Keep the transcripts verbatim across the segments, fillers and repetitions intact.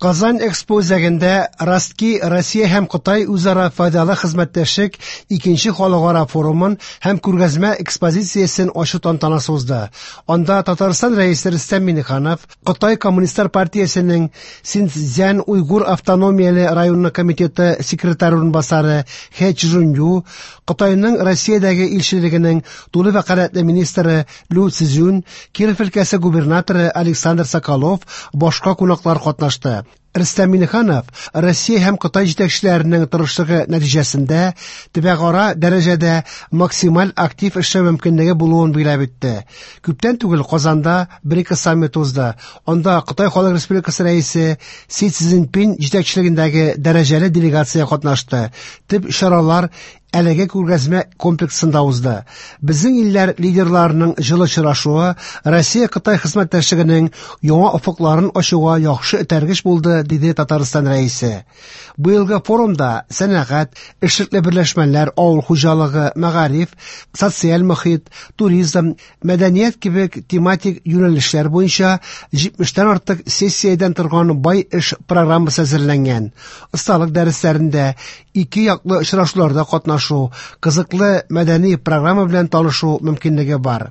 Казан Экспо үзәгендә Ростки Россия һәм Кытай үзара файдалы хезмәттәшлек икенче халыкара форумын һәм күргәзмә экспозициясен ачу тантанасы узды. Анда Татарстан Рәисе Рөстәм Миңнеханов, Кытай Коммунистлар партиясенең Синьцзян Уйгур автономияле районы комитеты секретаре урынбасары Хэ Чжунью, Кытайның Россиядәге илчелегенең тулы вәкаләтле министры Лю Цзюнь, Киров өлкәсе губернаторы Александр Соколов, башка кунаклар катнашты. Рөстәм Миңнеханов Россия һәм Кытай җитәкчеләренең тырышлыгы нәтиҗәсендә төбәкара дәрәҗәдә максималь актив эшләү мөмкинлеге булуын билгеләп үтте. Күптән түгел Казанда бер-ике саммит узды. Анда Кытай Халык Республикасы Рәисе Си Цзиньпин җитәкчелегендәге дәрәҗәле делегация катнашты. Төп чаралар әлеге күргәзмә комплексында узды. Безнең илләр лидерларының җылы очрашуы Россия-Кытай хезмәттәшлегенең яңа офыкларын ачуга яхшы этәргеч булды, диде Татарстан Рәисе. Быелгы форумда сәнәгать, эшлекле берләшмәләр, авыл хуҗалыгы, мәгариф, социаль мохит, туризм, мәдәният кебек тематик юнәлешләр буенча җитмештән артык сессиядән торган бай эш программасы әзерләнгән. Осталык дәресләрендә ике яклы очрашуларда катнашу, кызыклы мәдәни программа белән танышу мөмкинлеге бар.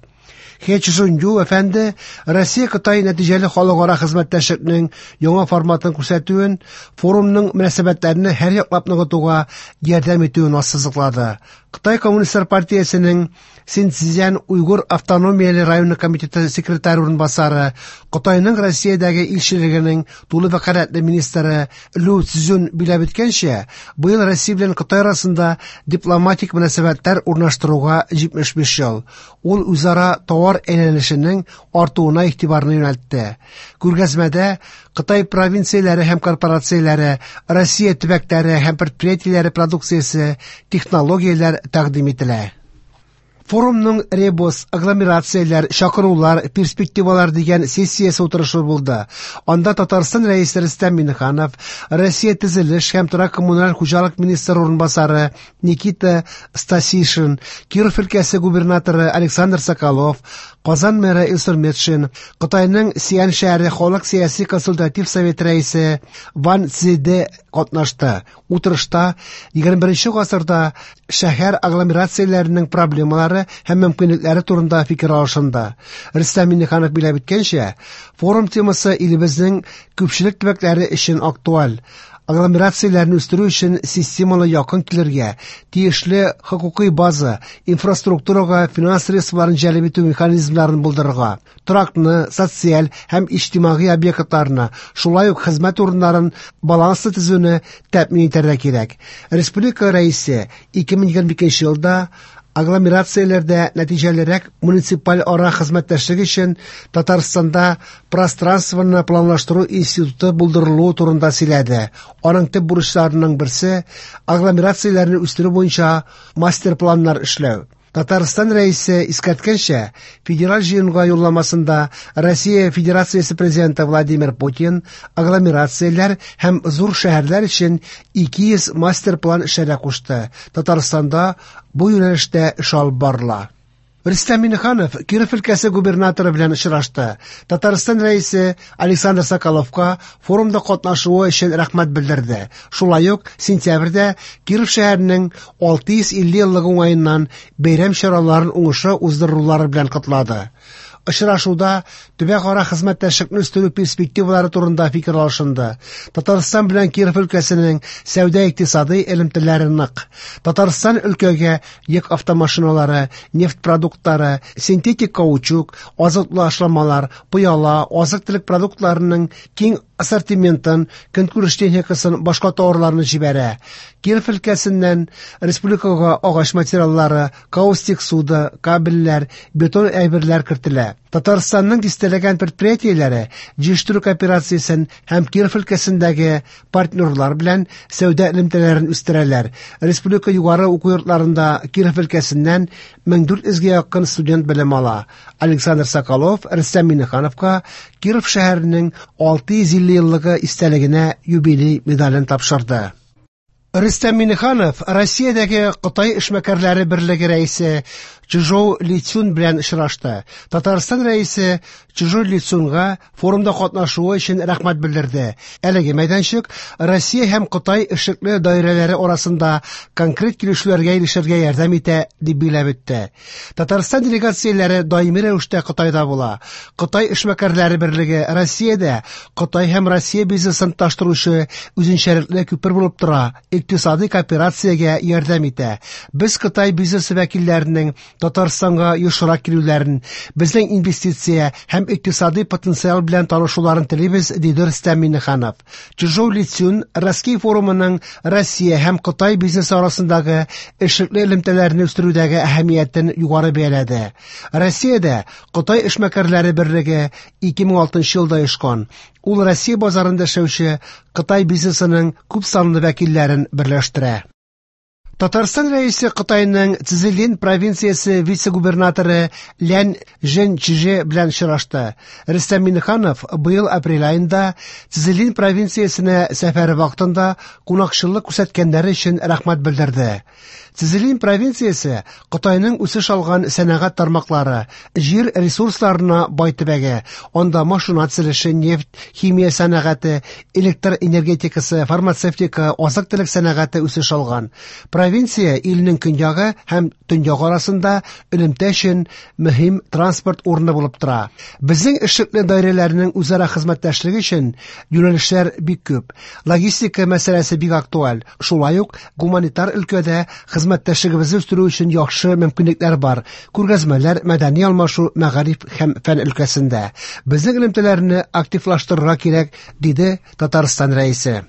Хэ Чжунью әфәнде Россия-Кытай нәтиҗәле халыкара хезмәттәшлекнең яңа форматын күрсәтүен, форумның мөнәсәбәтләрне һәр яклап ныгытуга ярдәм итүен ассызыклады. Кытай Коммунистлар партиясенең Синьцзян Уйгур автономияле районы комитеты секретаре урынбасары, Кытайның Россиядәге илчелегенең тулы вәкаләтле министры Лю Цзюнь билгеләп үткәнчә, быел Россия белән Кытай арасында дипломатик мөнәсәбәтләр урнаштыруга җитмеш биш ел. Ул үзара товар әйләнешенең артуына игътибарны юнәлтте. Күргәзмәдә Кытай провинцияләре һәм корпорацияләре, Россия төбәкләре һәм предприятиеләре продукциясе, технологияләр тәкъдим ителә. Форумның ребус, агломерацияләр, чакырулар, перспективалар дигән сессиясе утырышы булды. Анда Татарстан Рәисе Рөстәм Миңнеханов, Россия төзелеш һәм торак коммуналь хуҗалык министры урынбасары Никита Стасишин, Киров өлкәсе губернаторы Александр Соколов, Казан мэры Илсур Метшин, Кытайның Сиан шәһәре халык сәяси консультатив совет рәисе Ван Цзэде катнашты. Утырышта егерме беренче гасырда шәһәр агломерацияләренең проблемалары һәм мөмкинлекләре турында фикер алышынды. Рөстәм Миңнеханов билгеләп үткәнчә, форум темасы илебезнең күпчелек төбәкләре өчен актуаль. Агломерацияләрне үстерү өчен системалы якын килергә, тиешле хокукый база, инфраструктурага финанс средстволарын җәлеп итү механизмнарын булдырырга, торакны, социаль һәм иҗтимагый объектларны, шулай ук хезмәт урыннарын баланслы төзүне тәэмин итәргә кирәк. Республика Рәисе ике мең егерме икенче елда агломерацияләрдә нәтиҗәлерәк муниципаль ара хезмәттәшлек өчен Татарстанда пространствоны планлаштыру институты булдырылуы турында сөйләде. Аның төп бурычларының берсе агломерацияләрне үстерү буенча мастер-планнар эшләү. Татарстан Рәисе искәрткәнчә, федераль җыенга юлламасында Россия Федерациясе Президенты Владимир Путин агломерацияләр һәм зур шәһәрләр өчен ике йөз мастер-план эшләргә кушты. Татарстанда бу юнәлештә эш алып барыла. Рөстәм Миңнеханов Киров өлкәсе губернаторы белән очрашты. Татарстан Рәисе Александр Соколовка форумда катнашуы өчен рәхмәт белдерде. Шулай ук сентябрьдә Киров шәһәренең алты йөз илле еллыгы уңаеннан бәйрәм чараларын уңышлы уздырулары белән котлады. Очрашуда төбәкара хезмәттәшлекне үстерү перспективалары турында фикер алышынды. Татарстан белән Киров өлкәсенең сәүдә-икътисади элемтәләре нык. Татарстан өлкәгә йөк автомашиналары, нефть продуктлары, синтетик каучук, азотлы ашламалар, пыяла, азык-төлек продуктларының киң ассортиментын, көнкүреш техникасын, башка товарларны җибәрә. Киров өлкәсеннән республикага агач материаллары, каустик суда, кабельләр, бетон әйберләр кертелә. Татарстанның дистәләгән предприятиеләре җыештыру кооперациясен һәм Киров өлкәсендәге партнерлар белән сәүдә элемтәләрен үстерәләр. Республика югары уку йортларында Киров өлкәсеннән мең дүрт йөзгә якын студент белем ала. Александр Соколов Рөстәм Миңнехановка Киров шәһәренең алты йөз илле еллыгы истәлегенә юбилей медален тапшырды. Рөстәм Миңнеханов Россиядәге Кытай эшмәкәрләре берлеге рәисе Чжоу Лицун белән очрашты. Татарстан Рәисе Чжоу Лицунга форумда катнашуы өчен рәхмәт белдерде. Әлеге мәйданчык Россия һәм Кытай эшлекле даирәләре арасында конкрет килешүләргә ирешергә ярдәм итә, дип билгеләп үтте. Татарстан делегацияләре даими рәвештә Кытайда була. Кытай эшмәкәрләре берлеге Россиядә Кытай һәм Россия бизнесын таштыручы үзенчәлекле күпер булып тора, икътисади кооперациягә ярдәм итә. Без Кытай бизнесы вәкилләренең Татарстанга ешрак килүләрен, безнең инвестиция һәм икътисади потенциал белән танышуларын телибез, диде Рөстәм Миңнеханов. Чжоу Лицун Ростки форумының Россия һәм Кытай бизнесы арасындагы эшлекле элемтәләрне үстерүдәге әһәмиятен югары бәяләде. Россиядә Кытай эшмәкәрләре берлеге ике мең алтынчы елда оешкан. Ул Россия базарында эшләүче Кытай бизнесының күп санлы вәкилләрен берләштерә. Татарстан Рәисе Кытайның Цзилин провинциясе вице-губернаторы Лян Жэньчже белән очрашты. Рөстәм Миңнеханов быел апрель аенда Цзилин провинциясенә сәфәре вакытында кунакчыллык күрсәткәннәре өчен рәхмәт белдерде. Цзилин провинциясе Кытайның үсеш алган сәнәгать тармаклары, җир ресурсларына бай төбәге. Анда машина төзелеше, нефть, химия сәнәгате, электр энергетикасы, фармацевтика, азык-төлек сәнәгате үсеш алган. Провинция илнең көньягы һәм төньягы арасында элемтә өчен мөһим транспорт урыны булып тора. Безнең эшлекле даирәләрнең үзара хезмәттәшлеге өчен юнәлешләр бик күп. Логистика мәсьәләсе бик актуаль. Шулай ук гуманитар өлкәдә хезмәттәшлегебезне үстерү өчен яхшы мөмкинлекләр бар. Күргәзмәләр, мәдәни алмашу, мәгариф һәм фән өлкәсендә. Безнең элемтәләрне активлаштырырга кирәк, диде Татарстан Рәисе.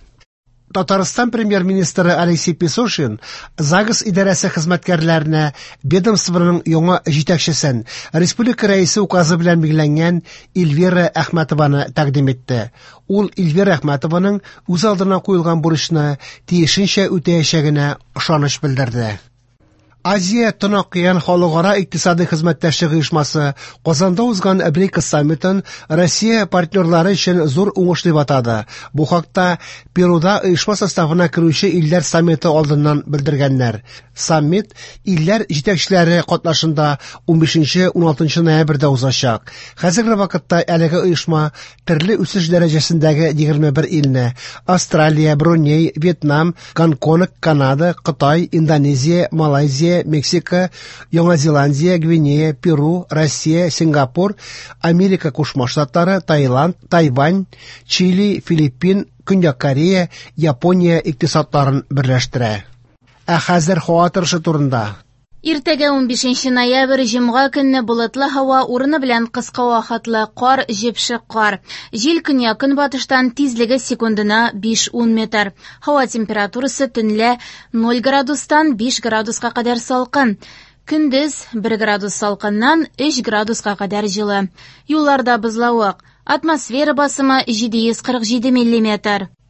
Татарстан премьер-министры Алексей Песошин ЗАГС идарәсе хезмәткәрләренә ведомствоның яңа җитәкчесен республика рәисе указы белән билгеләнгән Эльвира Әхмәтованы тәкъдим итте. Ул Эльвира Әхмәтованың үз алдына куелган бурычны тиешенчә үтәячәгенә ышаныч белдерде. Азия Тын океан халыкара икътисади хезмәттәшлек оешмасы Казанда узган БРИКС саммитын Россия партнерлары өчен зур уңыш дип атады. Бу хакта Перуда оешма составына керүче илләр саммиты алдыннан белдергәннәр. Саммит илләр җитәкчеләре катнашында унбишенче уналтынчы ноябрьдә узачак. Хәзерге вакытта әлеге оешма төрле үсеш дәрәҗәсендәге егерме бер илне Австралия, Бруней, Вьетнам, Гонконг, Канада, Кытай, Индонезия, Малайзия, Мексика, Яңа Зеландия, Гвинея, Перу, Россия, Сингапур, Америка Кушма Штатлары, Таиланд, Тайвань, Чили, Филиппин, Көньяк Корея, Япония икътисадларын берләштерә. Ә хәзер һава торышы турында. Иртәгә унбишенче ноябрь җомга көнне болытлы һава, урыны белән кыска вакытлы кар, җепшек кар. Җил көньяк-көнбатыштан, тизлеге секундына биш-ун метр. Һава температурасы төнлә ноль градустан биш градуска кадәр салкын. Көндез бер градус салкыннан өч градуска кадәр җылы. Юлларда бозлавык. Атмосфера басымы җиде йөз кырык җиде миллиметр.